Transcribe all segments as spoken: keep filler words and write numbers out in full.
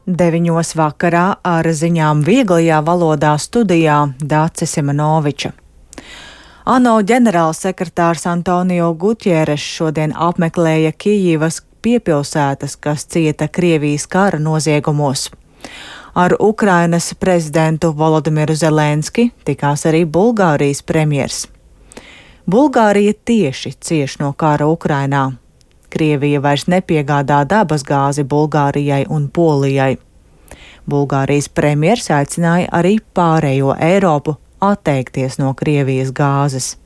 Deviņos vakarā ar ziņām vieglajā valodā studijā Dāce Simanoviča. ANO ģenerālsekretārs Antonio Gutjeres šodien apmeklēja Kijivas piepilsētas, kas cieta Krievijas kara noziegumos. Ar Ukrainas prezidentu Volodimiru Zelenski tikās arī Bulgārijas premjers. Bulgārija tieši cieš no kara Ukrainā. Krievija vairs nepiegādā dabasgāzi Bulgārijai un Polijai. Bulgārijas premjers aicināja arī pārējo Eiropu atteikties no Krievijas gāzes.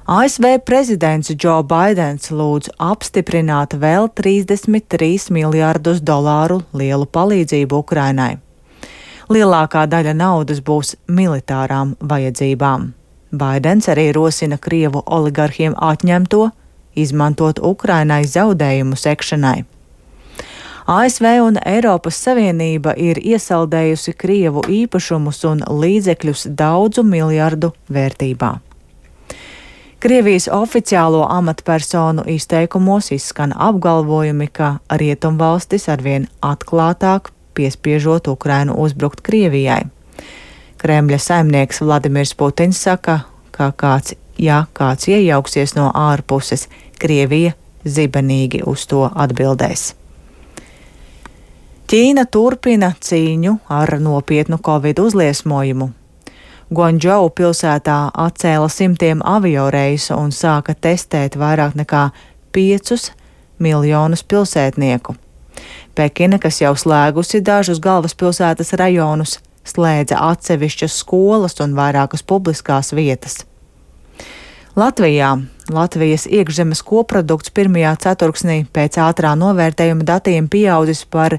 A S V prezidents Džo Baidens lūdz apstiprināt vēl trīsdesmit trīs miljārdus dolāru lielu palīdzību Ukrainai. Lielākā daļa naudas būs militārām vajadzībām. Baidens arī rosina Krievu oligarhiem atņemto, izmantot Ukrainai zaudējumu sekšanai. A S V un Eiropas Savienība ir iesaldējusi Krievu īpašumus un līdzekļus daudzu miljardu vērtībā. Krievijas oficiālo amatpersonu izteikumos izskan apgalvojumi, ka rietumvalstis arvien atklātāk piespiežot Ukrainu uzbrukt Krievijai. Kremļa saimnieks Vladimirs Putins saka, ka kāds, ja kāds iejauksies no ārpuses, Krievija zibenīgi uz to atbildēs. Ķīna turpina cīņu ar nopietnu covid uzliesmojumu. Guangdžou pilsētā atcēla simtiem avioreisu un sāka testēt vairāk nekā piecus miljonus pilsētnieku. Pekina, kas jau slēgusi dažus galvaspilsētas rajonus, slēdza atsevišķas skolas un vairākas publiskās vietas. Latvijā Latvijas iekšzemes koprodukts pirmajā ceturksnī pēc ātrā novērtējuma datiem pieaudzis par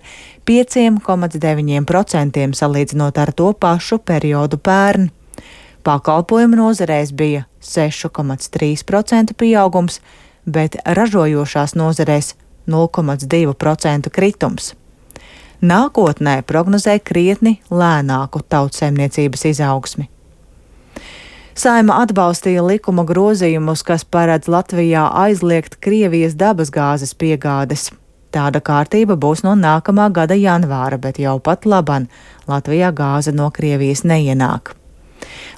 pieci komats deviņi procenti salīdzinot ar to pašu periodu pērn. Pakalpojumu nozarēs bija seši komats trīs procenti pieaugums, bet ražojošās nozarēs nulle komats divi procenti kritums. Nākotnē prognozē krietni lēnāku tautsaimniecības izaugsmi. Saeima atbalstīja likuma grozījumus, kas paredz Latvijā aizliegt Krievijas dabasgāzes piegādes. Tāda kārtība būs no nākamā gada janvāra, bet jau pat laban Latvijā gāze no Krievijas neienāk.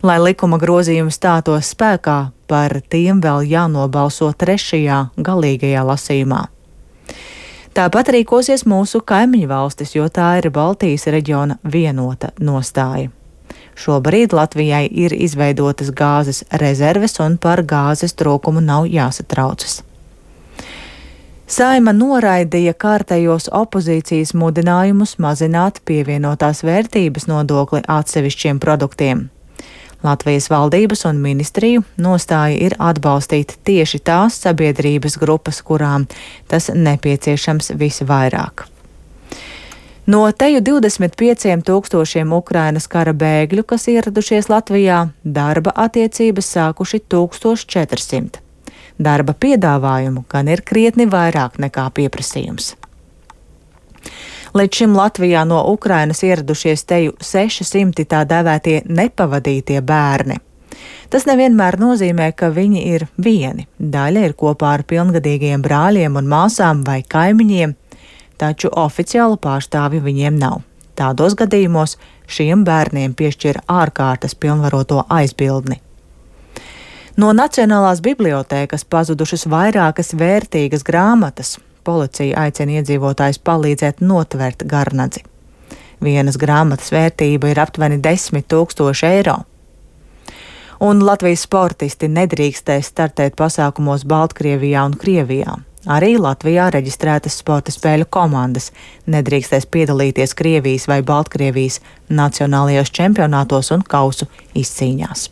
Lai likuma grozījumi stātos spēkā, par tiem vēl jānobalso trešajā galīgajā lasījumā. Tāpat rīkosies mūsu kaimiņu valstis, jo tā ir Baltijas reģiona vienota nostāja. Šobrīd Latvijai ir izveidotas gāzes rezerves un par gāzes trūkumu nav jāsatraucas. Saeima noraidīja kārtējos opozīcijas mudinājumus mazināt pievienotās vērtības nodokli atsevišķiem produktiem. Latvijas valdības un ministriju nostāja ir atbalstīt tieši tās sabiedrības grupas, kurām tas nepieciešams visvairāk. No teju divdesmit pieciem tūkstošiem Ukrainas kara bēgļu, kas ieradušies Latvijā, darba attiecības sākuši tūkstoš četrsimt. Darba piedāvājumu gan ir krietni vairāk nekā pieprasījums. Līdz šim Latvijā no Ukrainas ieradušies teju seši simti tā dēvētie nepavadītie bērni. Tas nevienmēr nozīmē, ka viņi ir vieni. Daļa ir kopā ar pilngadīgiem brāļiem un māsām vai kaimiņiem, taču oficiālu pārstāvju viņiem nav. Tādos gadījumos šiem bērniem piešķir ārkārtas pilnvaroto aizbildni. No Nacionālās bibliotēkas pazudušas vairākas vērtīgas grāmatas. Policija aicina iedzīvotājus palīdzēt notvert garnadzi. Vienas grāmatas vērtība ir aptuveni desmit tūkstoši eiro. Un Latvijas sportisti nedrīkstēs startēt pasākumos Baltkrievijā un Krievijā. Arī Latvijā reģistrētas sporta spēļu komandas nedrīkstēs piedalīties Krievijas vai Baltkrievijas nacionālajos čempionātos un kausu izcīņās.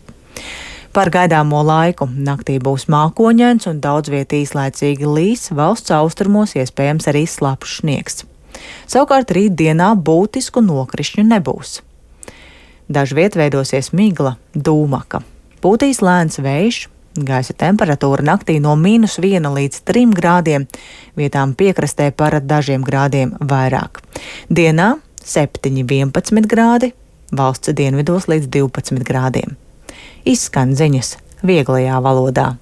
Par gaidāmo laiku naktī būs mākoņains un daudz viet īslaicīgi līs, valsts austrumos iespējams arī slapjš sniegs. Savukārt rītdienā būtisku nokrišņu nebūs. Dažviet veidosies migla, dūmaka. Pūtīs lēns vējš. Gaisa temperatūra naktī no mīnus viena līdz trim grādiem, vietām piekrastē par dažiem grādiem vairāk. Dienā septiņi vienpadsmit grādi, valsts dienvidos līdz divpadsmit grādiem. Izskan ziņas vieglajā valodā.